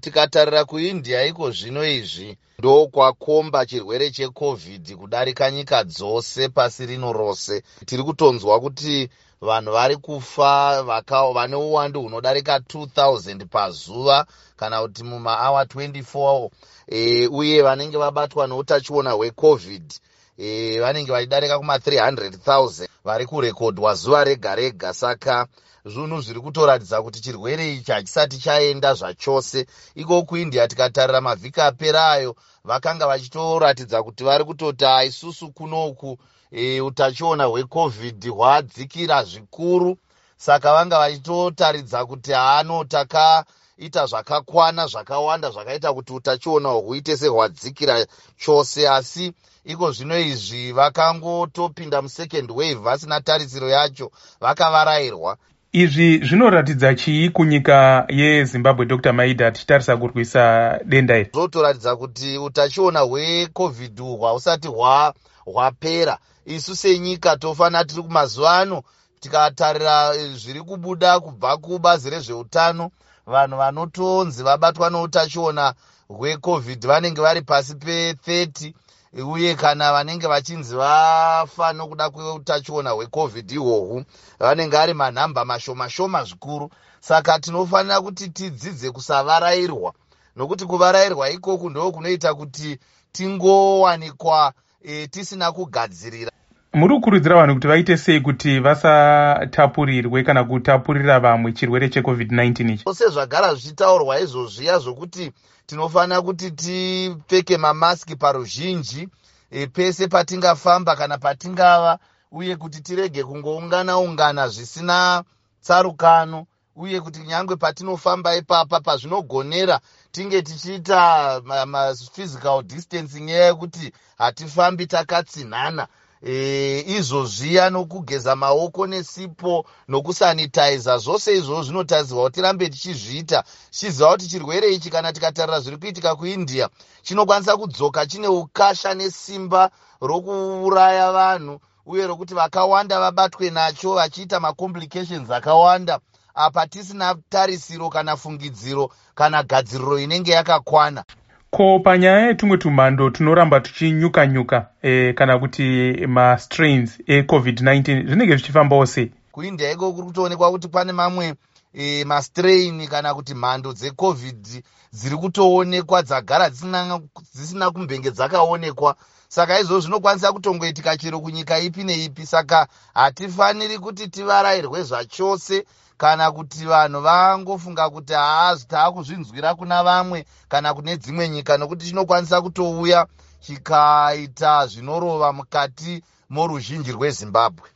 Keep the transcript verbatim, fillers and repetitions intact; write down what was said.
Tikatarira kuIndia iko zvino izvi, ndokwakomba chirwere cheCovid kudarika nyika dzose pasi rino rose. Tiri kutonzwa kuti vanhu vari kufa vane uwandu hunodarika two thousand pazuva kana kuti mumaawa twenty-four, e, uye vanenge vabatwa neutachiona hweCovid e, vanenge vachidarika kuma three hundred thousand vari kurekodwa zuva rega rega. Saka zvinhu zviri kutoratidza kuti chirwere ichi hachisati chaenda zvachose. Iko kuIndia, tikatarira mavhiki apera ayo, vakanga vachitoratidza kuti vari kutoti isusu kunoku e, utachiona hweCovid hwadzikira zvikuru. Saka vanga vachitotaridza kuti haano, takaita zvakakwana zvakawanda zvakaita kuti utachiona huite sehwadzikira chose. Asi iko zvino izvi vakangotopinda musecond wave vasina tarisiro yacho, vakavarayirwa. Izvi zvinoratidza chii kunyika yeZimbabwe, Doctor Maida, tichitarisa kurwisa denda iri? Zvotoratidza kuti utachiona hweCovid uhwu hausati hwapera. Isu senyika tofanira, tiri kumazuva ano, tikatarira zviri kubuda kubva kubazi rezveutano, vanhu vanotonzi vabatwa neutachiona hweCovid vanenge vari pasi pethirty, uye kana vanenge vachinzi vafa nokuda kweutachiona hweCovid ihwohwu vanenge ari manhamba mashoma shoma zvikuru. Saka tinofanira kuti tidzidze kusavarayirwa, nokuti kuvarayirwa ikoku ndo kunoita kuti tingowanikwa e, tisina kugadzirira. Muri kukurudzira vanhu kuti vaite sei kuti vasatapurirwe kana kutapurira vamwe chirwere cheCovid nineteen ichi? Sezvagara zvichitaurwa izvozviya zvokuti tinofanira kuti tipfeke mamaski paruzhinji e, pese patingafamba kana patingava, uye kuti tirege kungoungana ungana zvisina tsarukano, uye kuti nyange patinofamba ipapa, pazvinogonera, tinge tichiita maphysical distancing, nyaya yekuti hatifambi takatsinhana. e, izvozviya nokugeza maoko nesipo nokusanitaiza, zvose izvozvo zvinotarisirwa kuti tirambe tichizviita, tichiziva kuti chirwere ichi, kana tikatarira zviri kuitika kuIndia, chinokwanisa kudzoka chine ukasha nesimba rokuuraya vanhu, uye rokuti vakawanda vabatwe nacho vachiita macomplications akawanda, apa tisina tarisiro kana fungidziro kana gadziriro inenge yakakwana. Ko panyaya yetumwe tumhando tunoramba tuchinyuka-nyuka e, kana kuti mastrains eCovid nineteen, zvinenge zvichifambawo sei? KuIndia iko kuri kutoonekwa kuti pane mamwe e, mastrain kana kuti mhando dzeCovid dziri kutoonekwa dzagara dzisina, dzisina kumbenge dzakaonekwa. Saka izvozvo zvinokwanisa kutongoitika chero kunyika ipi neipi. Saka hatifaniri kuti tivarayirwe zvachose, kana kuti vanhu vangofunga kuti haa, taakuzvinzwira kuna vamwe kana kune dzimwe nyika, nokuti chinokwanisa kutouya chikaita zvinorova mukati moruzhinji rweZimbabwe.